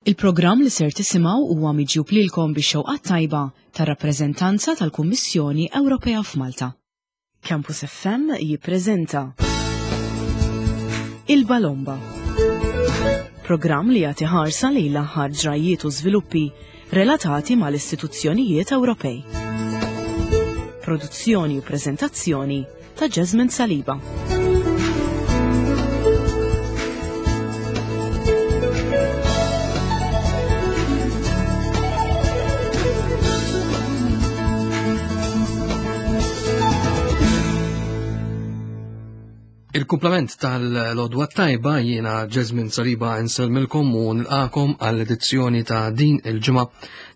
Il-programm li ser tisimgħu huwa miġjub lilkom bix-xewqat tajba tar-rappreżentanza tal-Kummissjoni Ewropea f'Malta. Campus FM jippreżenta Il-Balomba. Programm li jagħti ħarsa lejn l-aħħar ġrajjiet u żviluppi relatati mal-istituzzjonijiet Ewropej. Produzzjoni u preżentazzjoni ta' Jasmine Saliba. Il-kumplament tal-lodwa tajba jiena Jasmine Saliba insellmilkom u nilqakom għall-edizzjoni ta' din il-ġimgħa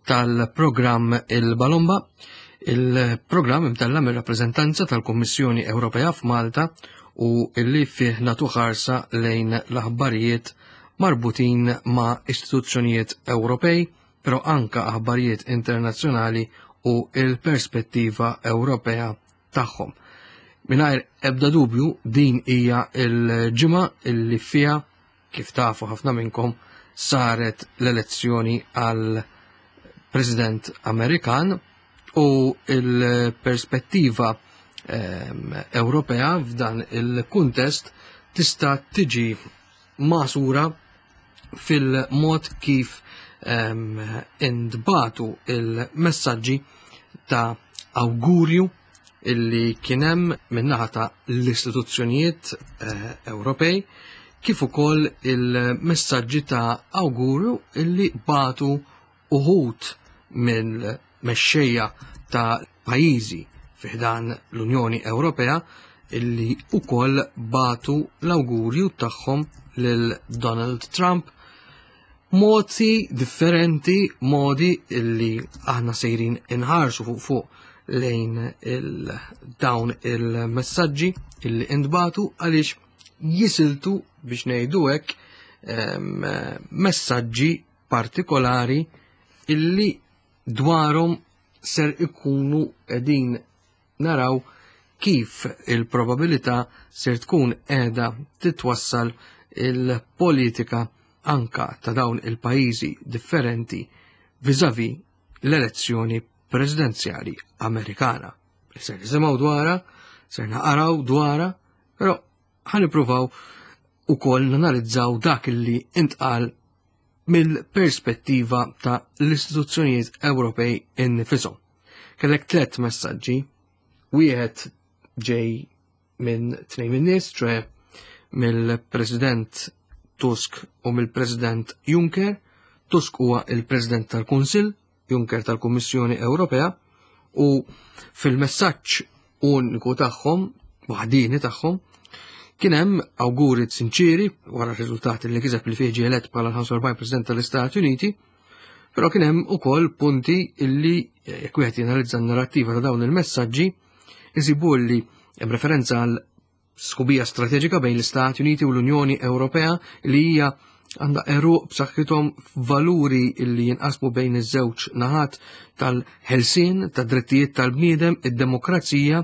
tal-programm Il-Balomba. Il-programm imtella mir-rappreżentanza tal-Kummissjoni Ewropea f'Malta u illi fih natu ħarsa lejn l-aħbarijiet marbutin ma' istituzzjonijiet Ewropej, però anka aħbarijiet internazzjonali u il-perspettiva Ewropea tagħhom. Mingħajr ebda dubju din hija l-ġimgħa illi fiha kif tafu ħafna minnkom saret l-elezzjoni għal President Amerikan u il-perspettiva ehm, Ewropea f'dan il-kuntest tista' tiġi masura fil-mod kif ehm, intbatu il-messaġġi ta' awgurju illi kienem minnaħa ta' l-istituzzjonijiet eh, Ewropej kif ukoll il-messaġġi ta' awgurju illi batu uħud mill-mexxejja ta' pajjiżi fi ħdan l-Unjoni Ewropea illi ukoll batu l-awgurju tagħhom lil Donald Trump modi differenti, modi illi aħna sejrin inħarsu fuq fuq lejn il dawn il-messaġġi illi intbatu għaliex jisiltu biex ngħidu hekk messaġġi partikolari illi dwarhom ser ikunu qegħdin naraw kif il-probabilità ser tkun qiegħda titwassal il-politika anka ta' dawn il-pajjiżi differenti viżavi l-elezzjoni presidenzjali Amerikana. Ser nisimgħu dwarha, ser naqaraw dwarha, però ħanipruvaw ukoll nanalizzaw dak li intqal mill-perspettiva ta' l-istituzzjonijiet Ewropej innifisom. Kellek tlet messaġġi, wieħed ġej minn tnejn minn nies, ċoe mill-President Tusk u mill-President Juncker. Tusk huwa il-President tal-Kunsill, Juncker tal-Kummissjoni Ewropea u fil-messaġġ uniku tagħhom, waħdini tagħhom, kien hemm awguri sinċiri wara r-riżultati li kiseb li fih ġie elett bħala l-45 President tal-Istati Uniti, però kien hemm ukoll punti illi jekk wieħed jenalizza n-narrattiva ta' dawn il-messaġġi, isibu li hemm referenza għal Sħubija strateġika bejn l-Istati Uniti u l-Unjoni Ewropea li hija għandha għeruq b'saħħithom f'valuri li jinqasmu bejn iż-żewġ naħat tal-ħelsien, tad-drittijiet tal-bniedem, id-demokrazija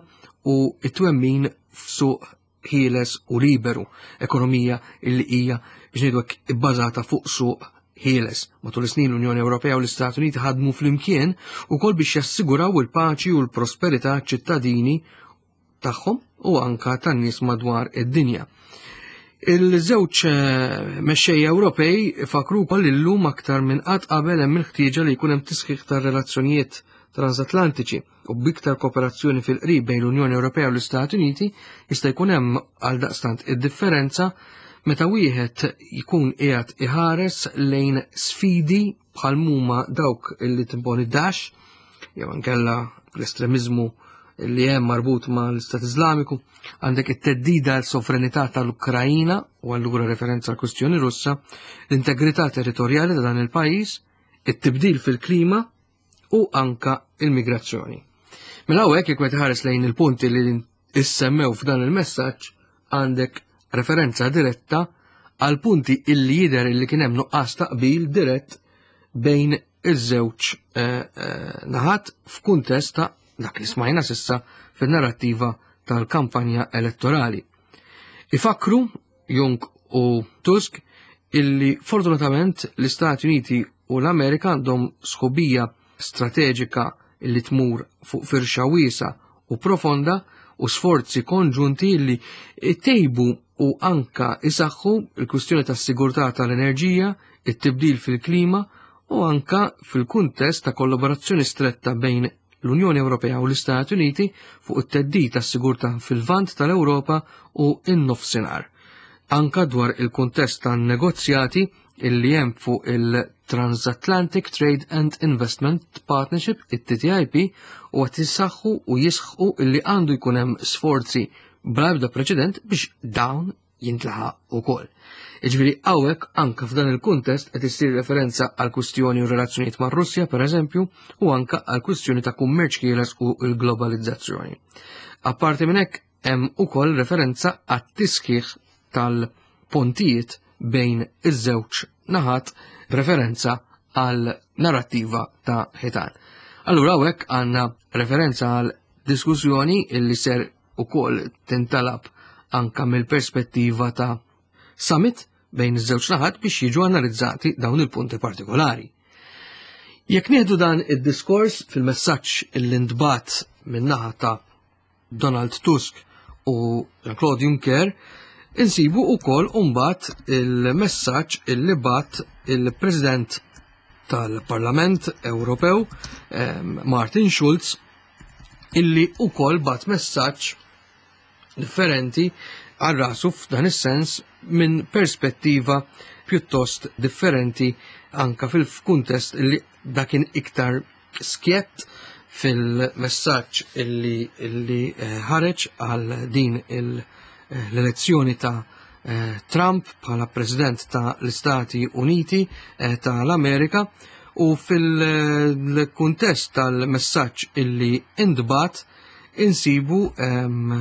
u t-twemmin f'suq ħieles u liberu, ekonomija li hija biex ngħidu hekk ibbażata fuq suq ħieles. Matul is-snin l-Unjoni Ewropea u l-Istati Uniti ħadmu flimkien ukoll biex jassiguraw il-paċi u l-prosperità ċittadini tagħhom u anka tan-nies madwar id-dinja. Il-żewġ eh, mexxejja Ewropej fakru wkoll illum aktar minn qatt qabel hemm il-ħtieġa li jkun hemm tisħiħ tar-relazzjonijiet transatlantiċi u b'iktar kooperazzjoni fil-qrib bejn l-Unjoni Ewropea u l-Istati Uniti jista' jkun hemm għal daqstant id-differenza meta wieħed jkun qiegħed iħares lejn sfidi bħal muma dawk illi timponi Daesh jew inkella l-estremiżmu li hemm marbut ma' l-Istat Iżlamiku, għandek it-teddida għal sovranità tal-Ukrajina u allura referenza għal kwistjoni Russa, l-integrità territorjali ta' dan il-pajjiż, it-tibdil fil-klima u anka il-migrazzjoni. Mela hawnhekk jekk meta ħares lejn il-punti li issemmew f'dan il-messaġġ għandek referenza diretta għal punti illi jidher illi kien hemm nuqqas ta' qbil dirett bejn iż-żewġ eh, eh, naħat f'kuntest ta' dak li smajna sissa fin-narrattiva tal-kampanja elettorali. Ifakru Jung u Tusk illi fortunatament l-Istati Uniti u l-Amerika għandhom sħubija strateġika illi tmur fuq firxa wiesa u profonda u sforzi konġunti illi tejbu u anka isaħħu il-kwistjoni tas-sigurtà tal-enerġija, it-tibdil fil-klima u anka fil-kuntest ta' kollaborazzjoni stretta bejn l-Unjoni Ewropea u l-Istati Uniti fuq it-theddid tas-sigurtà fil-Lvant tal-Ewropa u n-Nofsinhar. Anka dwar il-kuntest tan-negozjati illi hemm fuq il-Transatlantic Trade and Investment Partnership, it-TTIP, u qed jissaħħu u jisħqu illi għandu jkun hemm sforzi bla ebda preċedent biex dawn jintlaħaq ukoll. Jiġifieri hawnhekk anke f'dan il-kuntest qed issir referenza għal kwistjoni u relazzjonijiet mar-Russja pereżempju u anke għal kwistjoni ta' kummerċ ħieles u l-globalizzazzjoni. Apparti minn hekk hemm ukoll referenza għat-tisħiħ tal-pontijiet bejn iż-żewġ naħat b'referenza għal narrattiva ta' ħitan. Allura hawnhekk għandna referenza għal diskussjoni illi ser ukoll tintalab anka mill-perspettiva ta' summit bejn iż-żewġ naħat biex jiġu analizzati dawn il-punti partikolari. Jekk nieħdu dan id-diskors fil-messaġġ li ntbat min-naħa ta' Donald Tusk u Jean-Claude Juncker, insibu wkoll mbagħad il-messaġġ illi bat il-President tal-Parlament Ewropew Martin Schulz illi wkoll bat messaġġ differenti għal rasu f'dan is-sens minn perspettiva pjuttost differenti anka fil-kuntest illi dakin iktar skjett fil-messaġġ illi, illi eh, ħareġ għal din eh, l-elezzjoni ta' eh, Trump bħala President ta' l-Istati Uniti ta' l-Amerika u fil-kuntest tal-messaġġ illi intbat insibu ehm,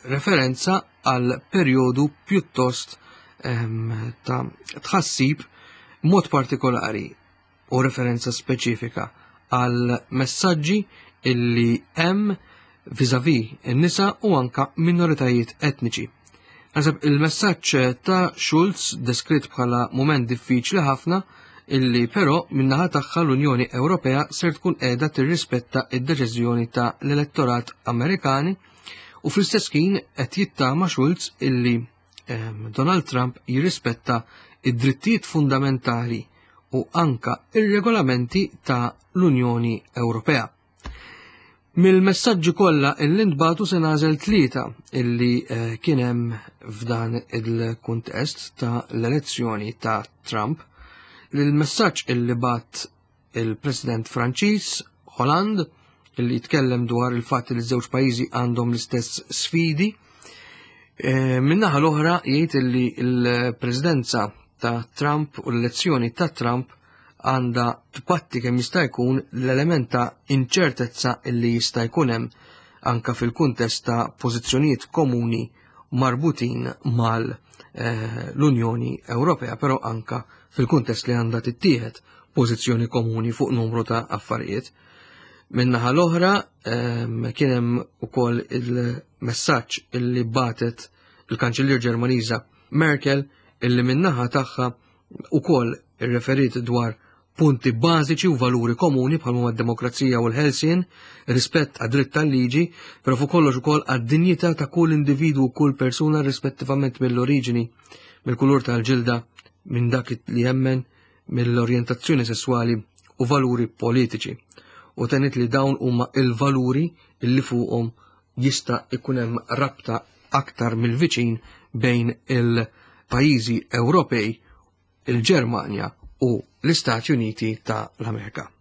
referenza għal perjodu pjuttost ehm, ta' tħassib mod partikolari u referenza speċifika għal messaġġi illi hemm viżavi n-nisa u anka minoritajiet etniċi. Naħseb il-messaġġ ta' Schulz deskritt bħala mument diffiċli ħafna illi però min-naħa tagħha l-Unjoni Ewropea ser tkun qiegħda tirrispetta id-deċiżjoni ta' l-elettorat Amerikani u fl-istess ħin qed jittama Schulz illi ehm, Donald Trump jirrispetta id-drittijiet fundamentali u anka ir-regolamenti ta' l-Unjoni Ewropea. Mill-messaġġi kollha illi ntbagħtu se nagħżel tlieta illi eh, kien hemm f'dan il-kuntest ta' l-elezzjoni ta' Trump. Il-messaġġ illi bat il-President Franċiż Hollande illi jitkellem dwar il-fatt li żewġ pajjiżi għandhom l-istess sfidi. Eh, min-naħa l-oħra jgħid illi l-Presidenza ta' Trump u l-elezzjoni ta' Trump għandha tpatti kemm jista' jkun l-element ta' inċertezza illi jista' jkun hemm anka fil-kuntest ta' pożizzjonijiet komuni marbutin mal eh, l-Unjoni Ewropea, però anka fil-kuntest li għandha tittieħed pożizzjoni komuni fuq numru ta' affarijiet. Min-naħa l-oħra ehm, kien hemm ukoll il-messaġġ illi batet il-Kanċellier Ġermaniża Merkel illi min-naħa tagħha ukoll irreferiet dwar punti bażiċi u valuri komuni bħal huma d-demokrazija u l-ħelsien, rispett għad-dritt tal-liġi, però fuq kollox ukoll għad-dinjità ta' kull individwu u kull persuna rispettivament mill-oriġini, mill-kulur tal-ġilda, minn dak li jemmen, mill-orjentazzjoni sesswali u valuri politiċi. U tenit li dawn huma il-valuri li fuqhom jista' ikun hemm rabta aktar mill-viċin bejn il-pajjiżi Ewropej, il-Ġermanja u l-Istati Uniti ta' l-Amerika.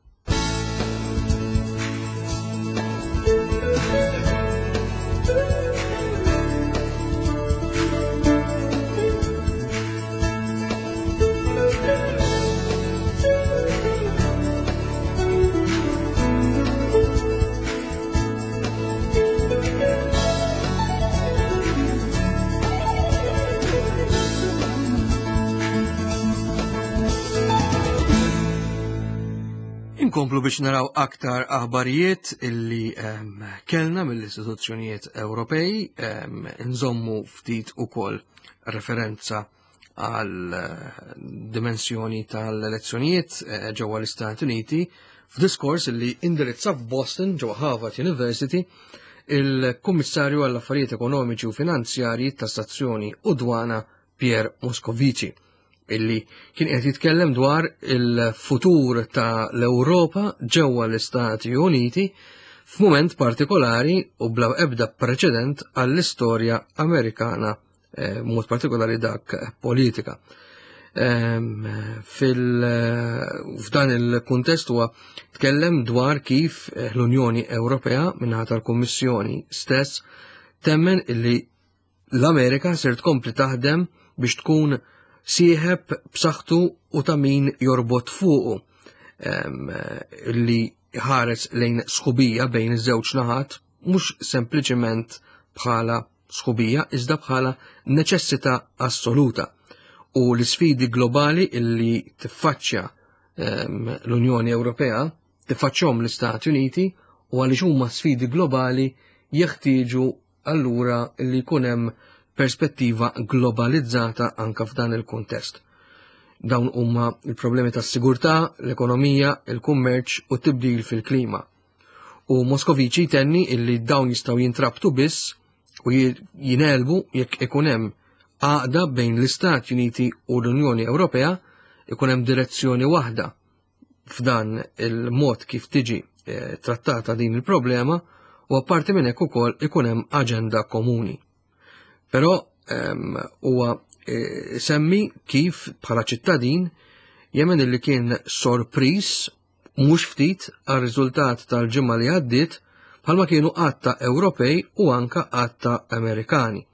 Inkomplu biex naraw aktar aħbarijiet illi um, kellna mill-istituzzjonijiet Ewropej, um, nżommu ftit ukoll referenza għal eh, dimensjoni tal-elezzjonijiet eh, ġewwa l-Istati Uniti f'diskors li indirizza f'Boston ġewwa Harvard University il-Kummissarju għall-Affarijiet Ekonomiċi u Finanzjarji tas-Stazzjoni u Dwana Pierre Moscovici illi kien qed jitkellem dwar il-futur ta' l-Ewropa ġewwa l-Istati Uniti f'mument partikolari u bla ebda preċedent għall-istorja Amerikana eh, mod partikolari dak politika. Ehm, f'dan il-kuntest huwa tkellem dwar kif eh, l-Unjoni Ewropea minnaħa tal-Kummissjoni stess temmen illi l-Amerika ser tkompli taħdem biex tkun sieħeb b'saħħtu u ta' min jorbot fuqu ehm, li ħares lejn sħubija bejn iż-żewġ naħat mhux sempliċement bħala sħubija iżda bħala neċessità assoluta u l-isfidi globali illi tiffaċċja ehm, l-Unjoni Ewropea tiffaċċhom l-Istati Uniti u għaliex huma sfidi globali jeħtieġu allura li jkun hemm perspettiva globalizzata anka f'dan il-kuntest. Dawn huma il-problemi tas-sigurtà, l-ekonomija, il-kummerċ u t-tibdil fil-klima. U Moskoviċi jtenni illi dawn jistgħu jintrabtu biss u jinelbu jekk ikun hemm għaqda bejn l-Istati Uniti u l-Unjoni Ewropea ikun hemm direzzjoni waħda f'dan il-mod kif tiġi eh, trattata din il-problema u apparti minn hekk ukoll ikun hemm aġenda komuni. Però ehm, huwa eh, semmi kif bħala ċittadin jemmen illi kien sorpriż mhux ftit għar-riżultat tal-ġimgħa li għaddiet bħalma kienu għadd ta' Ewropej u anka għadd ta' Amerikani.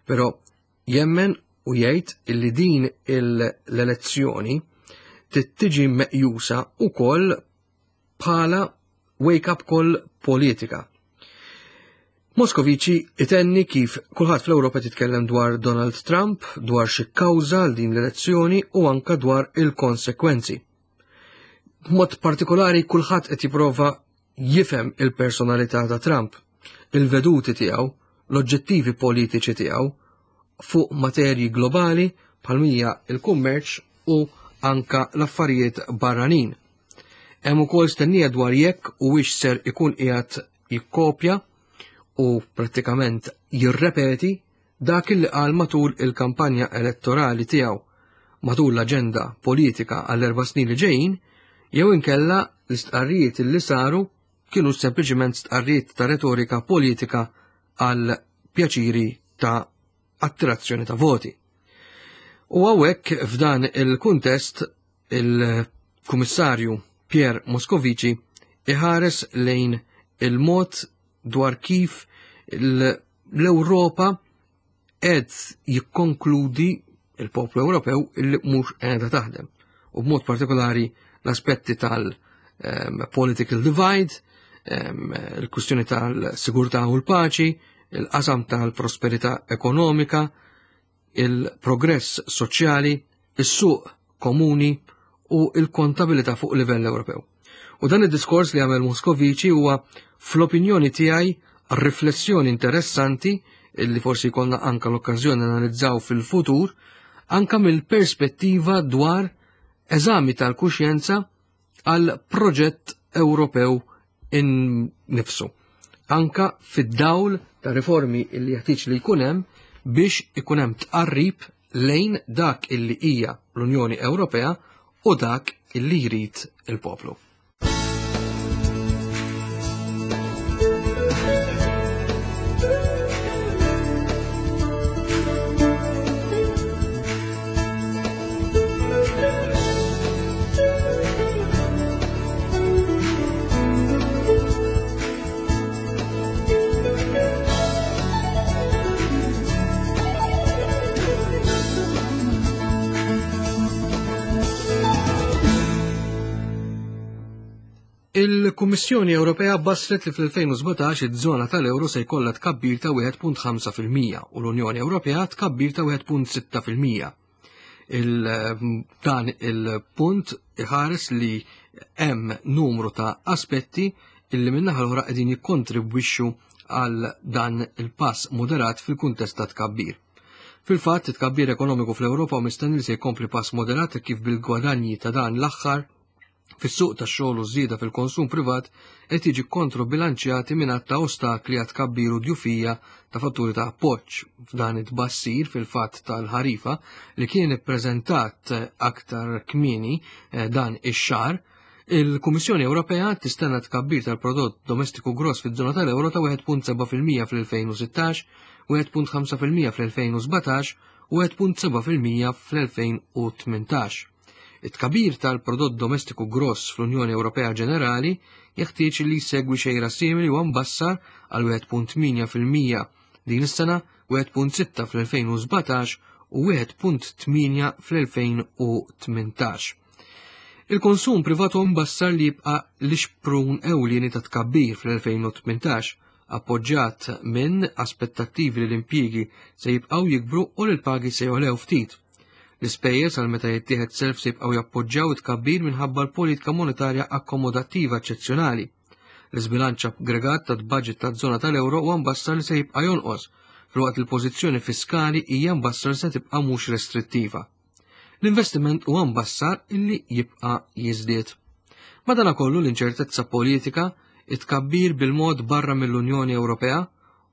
Però jemmen u jgħid illi din l-elezzjoni tiġi meqjusa ukoll bħala wake-up call politika. Moscovici itenni kif kulħadd fl-Ewropa titkellem dwar Donald Trump, dwar xi kawża għal din l-elezzjoni u anka dwar il-konsekwenzi. B'mod partikolari kulħadd qed jipprova jifhem il-personalità ta' Trump, il-veduti tiegħu, l-oġġettivi politiċi tiegħu fuq materji globali bħal mija il-kummerċ u anka l-affarijiet barranin. Hemm ukoll stennija dwar jekk u wix ser ikun qiegħed jikkopja u prattikament jirrepeti dak li qal matul il-kampanja elettorali tiegħu matul l-aġenda politika għall-erba' snin li ġejjin, jew inkella l-istqarrijiet li saru kienu sempliċement stqarrijiet ta' retorika politika għal pjaċiri ta' attirazzjoni ta' voti. U għawek f'dan il-kuntest il-Kummissarju Pierre Moscovici iħares lejn il-mod dwar kif l-Ewropa qed jikkonkludi il-poplu Ewropew illi mhux qiegħda taħdem. U b'mod partikolari l-aspetti tal-political ehm, divide, ehm, il-kwistjoni tal-sigurtà u l-paċi, il-qasam tal-prosperità ekonomika, il-progress soċjali, is-suq komuni u il-kontabilità fuq livell Ewropew. U dan id-diskors li għamel Moscovici huwa fl-opinjoni tiegħi riflessjoni interessanti illi forsi jkollna anka l-okkażjoni analizzaw fil-futur, anka mill-perspettiva dwar eżami tal-kuxjenza għal proġett Ewropew innifsu. Anka fid-dawl ta' riformi li jeħtieġ li jkun hemm biex ikun hemm tqarrib lejn dak illi hija l-Unjoni Ewropea u dak illi jrid il-poplu. Il-Kummissjoni Ewropea bassret li fl-2017 iż-żona tal-euro se jkollha tkabbir ta' 1.5% u l-Unjoni Ewropea tkabbir ta' 1.6%. Il-dan il-punt iħares li hemm numru ta' aspetti illi min-naħa l-oħra qegħdin jikkontribwixxu għal dan il-pass moderat fil-kuntest ta' tkabbir. Fil-fatt, it-tkabbir ekonomiku fl-Ewropa hu mistenni li se jkompli pass moderat hekk kif bil-gwadanji ta' dan l-aħħar fis-suq tax-xogħol u żieda fil-konsum privat qed jiġi kontrobilanċjati minn għadd ta' ostakli għat tkabbir u djufija ta' fatturi ta' appoġġ. F'dan it-tbassir fil-fatt tal-ħarifa li kien ippreżentat aktar kmieni eh, dan ix-xahar, il-Kummissjoni Ewropea tistenna tkabbir tal-prodott domestiku gross fiż-żona tal-euro ta' 1.7% fl-2016, 1.5% fl-2017 u 1.7% fl-2018. It-tkabbir tal-prodott domestiku gross fl-Unjoni Ewropea ġenerali jeħtieġ li jsegwi xejra simili u mbassar għal 1.8% din is-sena, 1.6 fl-2017 u 1.8 fl-2018. Il-konsum privat huwa mbassar li jibqa' l-ixprun ewlieni ta' tkabbir fl-2018, appoġġjat minn aspettattivi li l-impjiegi se jibqgħu jikbru u li l-pagi se jogħlew ftit. L-ispejjeż għal meta jittieħed self se jibqgħu jappoġġjaw it-tkabbir minħabba l-politika monetarja akkomodattiva eċċezzjonali. L-iżbilanċ aggregat tat-baġit taż-żona tal-euro huwa mbassar li se jibqa' jonqos, filwaqt li l-pożizzjoni fiskali hija mbassar li se tibqa' mhux restrittiva. L-investiment huwa mbassar illi jibqa' jiżdied. Madanakollu l-inċertezza politika, it-tkabbir bil-mod barra mill-Unjoni Ewropea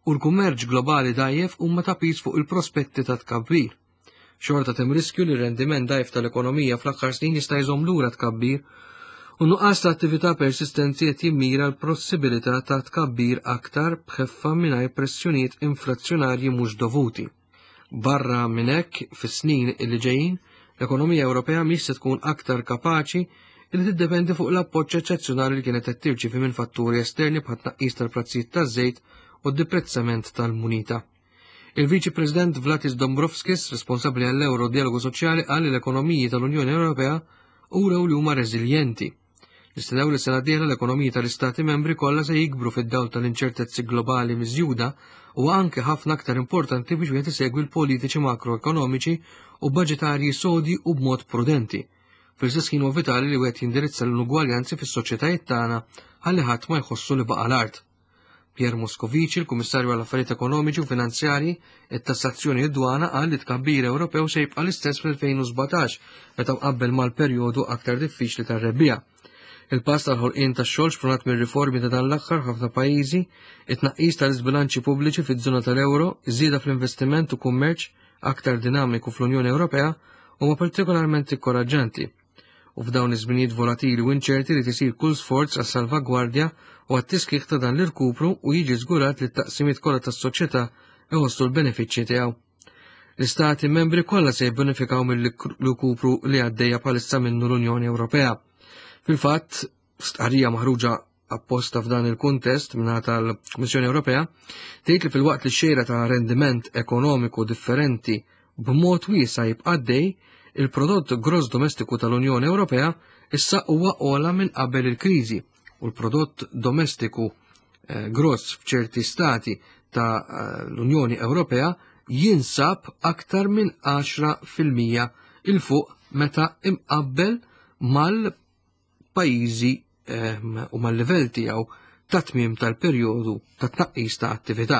u l-kummerċ globali dgħajjef huma ta' piż fuq il-prospetti ta' tkabbir. Xorta hemm riskju li r-rendiment dgħajf tal-ekonomija fl-aħħar snin jista' jżomm lura tkabbir u nuqqas ta' attività persistenti qed jimmira l-possibilità ta' tkabbir aktar b'ħeffa mingħajr pressjonijiet inflazzjonarji mhux dovuti. Barra minn hekk, fis-snin li ġejjin, l-ekonomija Ewropea mhix se tkun aktar kapaċi li tiddependi fuq l-appoġġ eċċezzjonali li kienet qed tirċievi minn fatturi esterni bħat tnaqqis tal-prezzijiet taż-żejt u d-deprezzament tal-munita. Il-Viċi President Vladis Dombrovskis, responsabbli għall-Euro Dialogu Soċjali, qal li l-ekonomiji tal-Unjoni Ewropea urew li huma reżiljenti. Nistennew li sena dieħla l-ekonomiji tal-Istati membri kollha se jikbru fid-dawl tal-inċertezzi globali miżjuda u anke ħafna aktar importanti biex wieħed isegwi l-politiċi makroekonomiċi u baġitarji sodi u b'mod prudenti. Fl-istess ħin huwa vitali li wieħed jindirizza l-inugwaljanzi fis-soċjetajiet tagħna ħalli ħadd ma jħossu li baqa' l-art. Pierre Moscovici, il-Kummissarju għall affarijiet Ekonomiċi u Finanzjarji, it-tassazzjoni u d-dwana qal li tkabbir Ewropew se jibqa' l-istess fl-2017 meta mqabbel mal-perjodu aktar diffiċli tar-rebbiegħa. Il-pass tal-ħolqien tax-xogħol xprunat mir-riformi ta' dan l-aħħar ħafna pajjiżi, it-tnaqqis tal-iżbilanċi pubbliċi fiż-żona tal-euro, iż-żieda fl-investiment u kummerċ aktar dinamiku fl-Unjoni Ewropea huma partikolarment ikkoraġġanti. U f'dawn iż-żminijiet volatili u inċerti li tisir kull sforz għas-salvagwardja u għat-tiskiħ ta' dan l-irkupru u jiġi żgurat li t-taqsimiet kollha tas-soċjetà iħossu l-benefiċċji tiegħu. L-istati membri kollha se jibbenefikaw mill-irkupru li għaddejja bħalissa minnu l-Unjoni Ewropea. Fil-fatt, stqarrija maħruġa apposta f'dan il-kuntest mingħata tal-Kummissjoni Ewropea tgħid li filwaqt li xejra ta' rendiment ekonomiku differenti b'mod wiesa' jibqa' għaddej, il-prodott gross domestiku tal-Unjoni Ewropea issa huwa ogħla minn qabel il-kriżi u l-prodott domestiku eh, gross f'ċerti stati ta' eh, l-Unjoni Ewropea jinsab aktar minn 10% il fuq meta imqabbel mal pajjiżi ehm, u mal-livell tiegħu ta' tmiem tal-perjodu ta' tnaqqis ta' attività.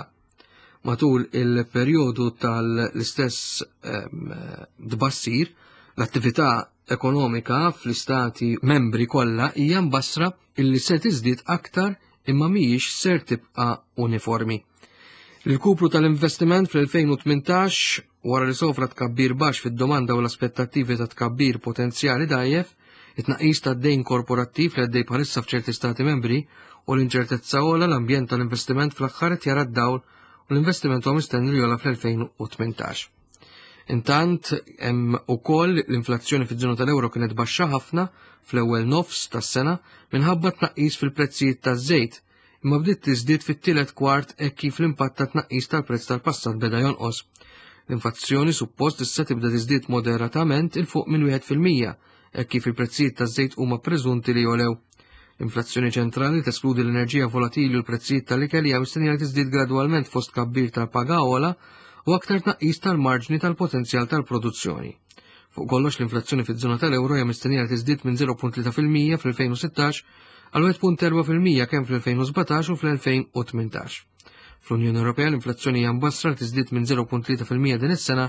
Matul il-perjodu tal-istess ehm, tbassir, l-attività ekonomika fl-istati membri kollha hija mbassra illi se tiżdied aktar imma mhijiex ser tibqa' uniformi. Il-kupru tal-investiment fl-2018 wara li sofra tkabbir baxx fid-domanda u l-aspettattivi ta' tkabbir potenzjali dgħajjef, it-tnaqqis tad-dejn korporattiv li għaddej bħalissa f'ċerti stati membri u l-inċertezza ogħla l-ambjent tal-investiment fl-aħħar qed jara d-dawl u l-investiment huwa mistenni li jogħla fl-2018. Intant hemm ukoll l-inflazzjoni fiż-żona tal-euro kienet baxxa ħafna fl-ewwel nofs tas-sena minħabba tnaqqis fil-prezzijiet taż-żejt imma bdiet tiżdied fit-tielet kwart hekk kif l-impatt ta' tnaqqis tal-prezz tal-passat beda jonqos. L-inflazzjoni suppost issa tibda tiżdied moderatament il fuq minn 1% hekk kif il-prezzijiet taż-żejt huma preżunti li jolew. L-inflazzjoni ċentrali teskludi l-enerġija volatili u l-prezzijiet tal-ikel hija mistennija li tiżdied gradwalment fost kabbir tal-paga ogħla u aktar tnaqqis tal-marġni tal-potenzjal tal-produzzjoni. Fuq kollox l-inflazzjoni fiż-żona tal-euro hija mistennija li tiżdied minn 0.3% fl-2016 għal 1.4% kemm fl-2017 u fl-2018. Fl-Unjoni Ewropea l-inflazzjoni hija mbassra li tiżdied minn 0.3% din is-sena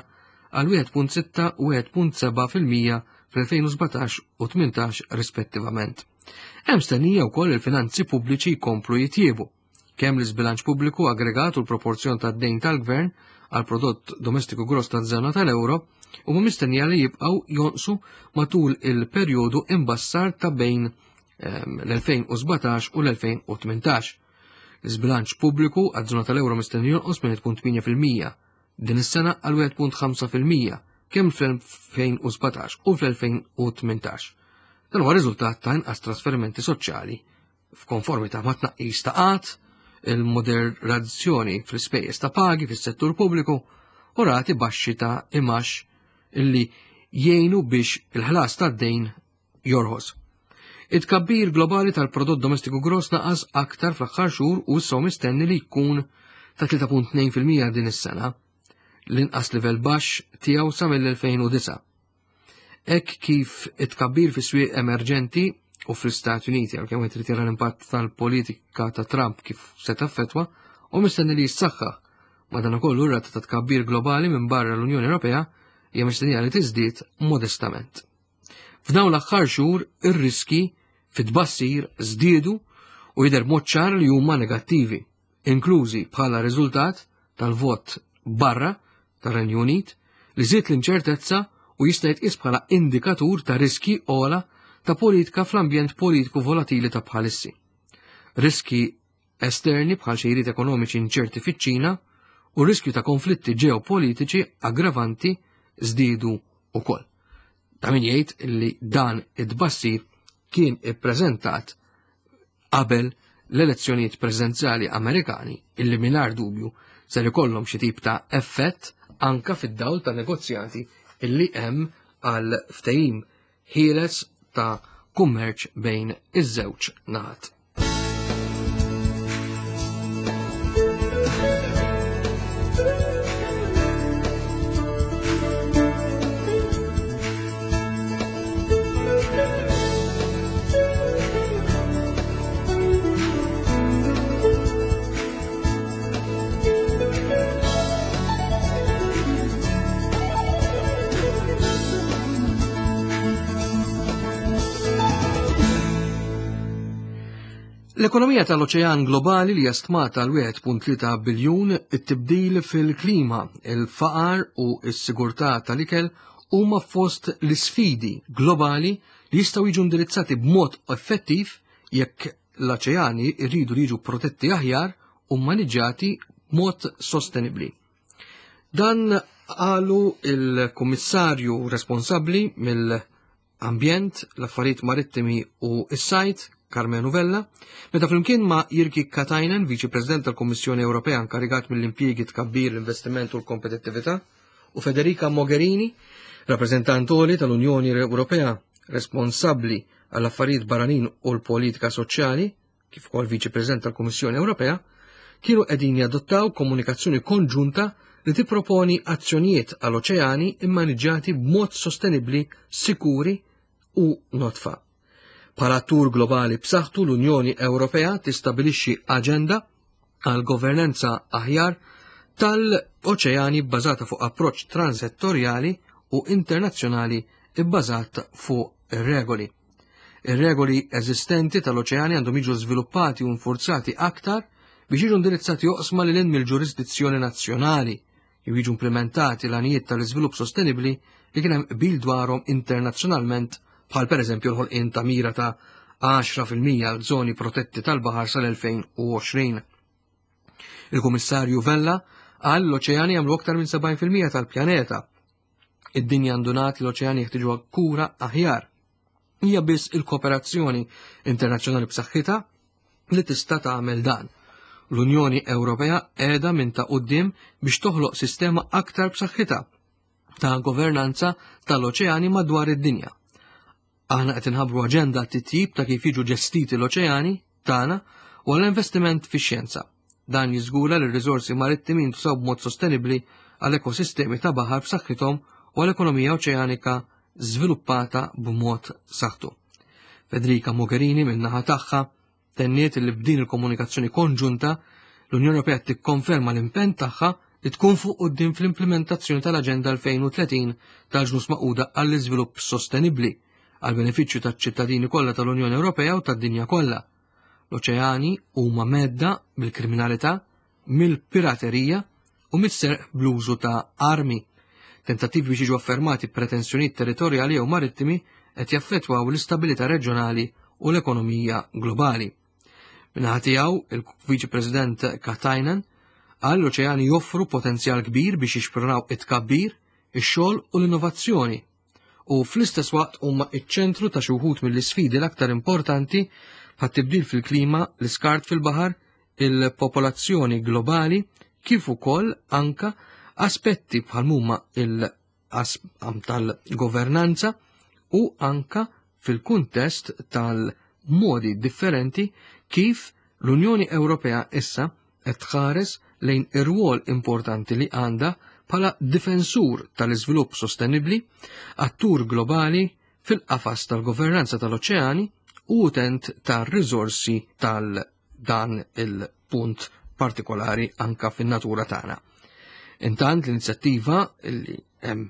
għal 1.6 u 1.7% fl-2017 u 18 rispettivament. Hemm stennija wkoll il-finanzi pubbliċi jkomplu jitjiebu. Kemm l-iżbilanċ pubbliku aggregat u l-proporzjon tad-dejn tal-gvern għal prodott domestiku gross taż-żona tal-euro huma mistennija li jibqgħu jonqsu matul il-perjodu imbassar ta' bejn l-2017 u l-2018. L-iżbilanċ pubbliku għaż-żona tal-euro mistenni jonqos minn 1.8% din is-sena għal 1.5% kemm fl-2017 u fl-2018. Dan huwa riżultat ta' inqas trasferimenti soċjali f'konformità ma' tnaqqis ta' qgħad, il-moderazzjoni fl-ispejjeż ta' pagi fis-settur pubbliku u rati baxxi ta' imax illi jgħinu biex il-ħlas tad-dejn jorħos. It-tkabbir globali tal-prodott domestiku gross naqas aktar fl-aħħar xhur u issa mistenni li jkun ta' 3.2% din is-sena, l-inqas livell baxx tiegħu sa mill-2009. Hekk kif it-tkabbir fis-swieq emerġenti u fl-Istati Uniti, għalkemm qed irid jara l-impatt tal-politika ta' Trump kif se taffettwa, u mistenni li jissaħħaħ. Madankollu r-rata ta' tkabbir globali minn barra l-Unjoni Ewropea hija mistennija li tiżdied modestament. F'dawn l-aħħar xhur ir-riski fit-tbassir żdiedu u jidher b'mod ċar li huma negattivi, inklużi bħala riżultat tal-vot barra tar-Renju Unit li żied l-inċertezza u jista' jitqies bħala indikatur ta' riski ogħla ta' politika fl-ambjent politiku volatili ta' bħalissi. Riski esterni bħal xejriet ekonomiċi inċerti fiċ-Ċina u riskju ta' konflitti ġeopolitiċi aggravanti żdiedu wkoll. Ta' min jgħid li dan id-tbassir kien ippreżentat qabel l-elezzjonijiet presidenzjali Amerikani illi mingħajr dubju ser ikollhom xi tip ta' effett anka fid-dawl ta' negozjati illi hemm għal ftehim ħieles ta' kummerċ bejn iż-żewġ naħat. L-ekonomija tal-oċean globali li stmata għal 1.3 biljun, it-tibdil fil-klima, il-faqar u s-sigurtà tal-ikel huma fost l-isfidi globali li jistgħu jiġu indirizzati b'mod effettiv jekk l-oċeani rridu li jiġu protetti aħjar u maniġġati b'mod sostenibbli. Dan qalu il-kummissarju responsabbli mill-ambjent, l-affarijiet marittimi u s-sajd, Karmenu Vella, meta flimkien ma' Jyrki Katainen, Viċi President tal-Kummissjoni Ewropea inkarigat mill-impjiegi tkabbir l-investiment u l-kompetittività, u Federica Mogherini, rappreżentant għoli tal-Unjoni Ewropea responsabbli għall-affarijiet barranin u l-politika soċjali, kif ukoll Viċi President tal-Kummissjoni Ewropea, kienu qegħdin jadottaw komunikazzjoni konġunta li tipproponi azzjonijiet għal oċeani immaniġġati b'mod sostenibbli, sikuri u nodfa. Bħala attur globali b'saħħtu l-Unjoni Ewropea tistabilixxi aġenda għal governanza aħjar tal-oċeani bbażata fuq approċċ transettorjali u internazzjonali bbażat fuq ir-regoli. Ir-regoli eżistenti tal-oċeani għandhom jiġu żviluppati u nfurzati aktar biex jiġu indirizzati oqsma lil hinn mill-ġurisdizzjoni nazzjonali jew jiġu implimentati l-għanijiet tal-iżvilupp sostenibbli li kien hemm qbil dwarhom internazzjonalment bħal pereżempju l-ħolqien ta' mira ta' 10% għal żoni protetti tal-baħar sal-2020. Il-Kummissarju Vella qal l-oċeani jagħmlu aktar minn 70% tal-pjaneta. Id-dinja ndunat li l-oċeani jeħtieġu kura aħjar. Hija biss il-kooperazzjoni internazzjonali b'saħħitha li tista' tagħmel dan. L-Unjoni Ewropea qiegħda minn ta' quddiem biex toħloq sistema aktar b'saħħitha ta' governanza tal-oċeani madwar id-dinja. Aħna qed inħabbru aġenda titjib ta' kif jiġu ġestiti l-oċeani tagħna u għall-investiment fix-xjenza. Dan jiżgura li r-riżorsi marittimi jintużaw b'mod sostenibbli għal ekosistemi ta' baħar b'saħħithom u għal ekonomija oċeanika żviluppata b'mod saħħtu. Federica Mogherini min-naħa tagħha tenniet li b'din il-komunikazzjoni konġunta l-Unjoni Ewropea tikkonferma l-impenn tagħha li tkun fuq quddiem fl-implimentazzjoni tal-Aġenda 2030 tal-Ġnus Magħquda għall-Iżvilupp Sostenibbli għall-benefiċċju taċ-ċittadini kollha tal-Unjoni Ewropea u tad-dinja kollha. L-oċeani huma mhedda mill-kriminalità, mill-piraterija u mis-serq bl-użu ta' armi. Tentattivi biex jiġu affermati pretensjonijiet territorjali jew marittimi qed jaffettwaw l-istabilità reġjonali u l-ekonomija globali. Min-naħa tiegħu, il-Viċi President Katainen qal l-oċeani joffru potenzjal kbir biex jixprunaw it-tkabbir, ix-xogħol u l-innovazzjoni u fl-istess waqt huma iċ-ċentru ta' xi wħud mill-isfidi l-aktar importanti bħat-tibdil fil-klima, l-iskart fil-baħar, il-popolazzjoni globali, kif ukoll anka aspetti bħal huma il-qasam tal-governanza u anka fil-kuntest tal-modi differenti kif l-Unjoni Ewropea issa qed tħares lejn ir-rwol importanti li għandha bħala difensur tal-iżvilupp sostenibbli, attur globali fil-qafas tal-governanza tal-oċeani u utent tar-riżorsi tal-dan il-punt partikolari anka fin-natura tagħna. Intant l-inizjattiva li hemm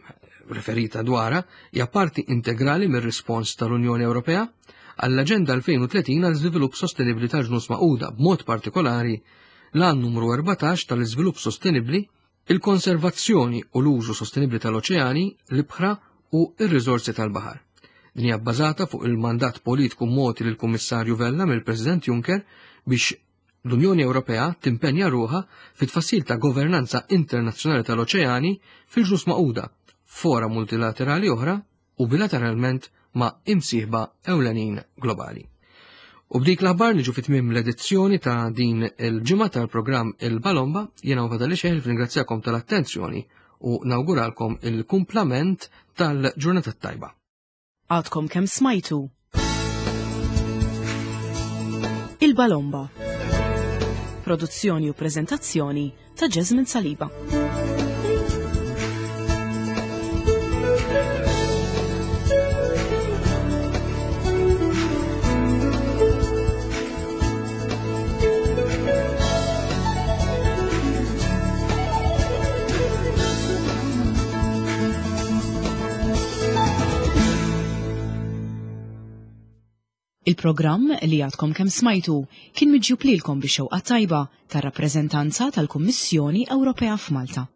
referita dwarha hija parti integrali mir-rispons tal-Unjoni Ewropea għall-Aġenda 2030 għal żvilupp sostenibbli tal-Ġnus Magħquda b'mod partikolari l-għan numru 14 tal-iżvilupp sostenibbli, il-konservazzjoni u l-użu sostenibbli tal-oċeani, l-ibħra u r-riżorsi tal-baħar. Din hija bbażata fuq il-mandat politiku mogħti lill-Kummissarju Vella mill-President Juncker biex L-Unjoni Ewropea timpenja ruħha fit-tfassil ta' governanza internazzjonali tal-oċeani fil-Ġnus Magħquda, fora multilaterali oħra u bilateralment ma' imsieħba ewlenin globali. U b'dik l-aħbar niġu fi tmiem l-edizzjoni ta' din il-ġimgħa tal-programm Il-Balomba, jiena u fadali xejn ringrazzjakom tal-attenzjoni u nawguralkom il-kumplament tal-ġurnata tajba. Għadkom kemm smajtu. Il-Balomba. Produzzjoni u preżentazzjoni ta' Jasmine Saliba. Il-programm li għadkom kemm smajtu kien miġjub lilkom bix-xewqa tajba tar-rappreżentanza tal-Kummissjoni Ewropea f'Malta.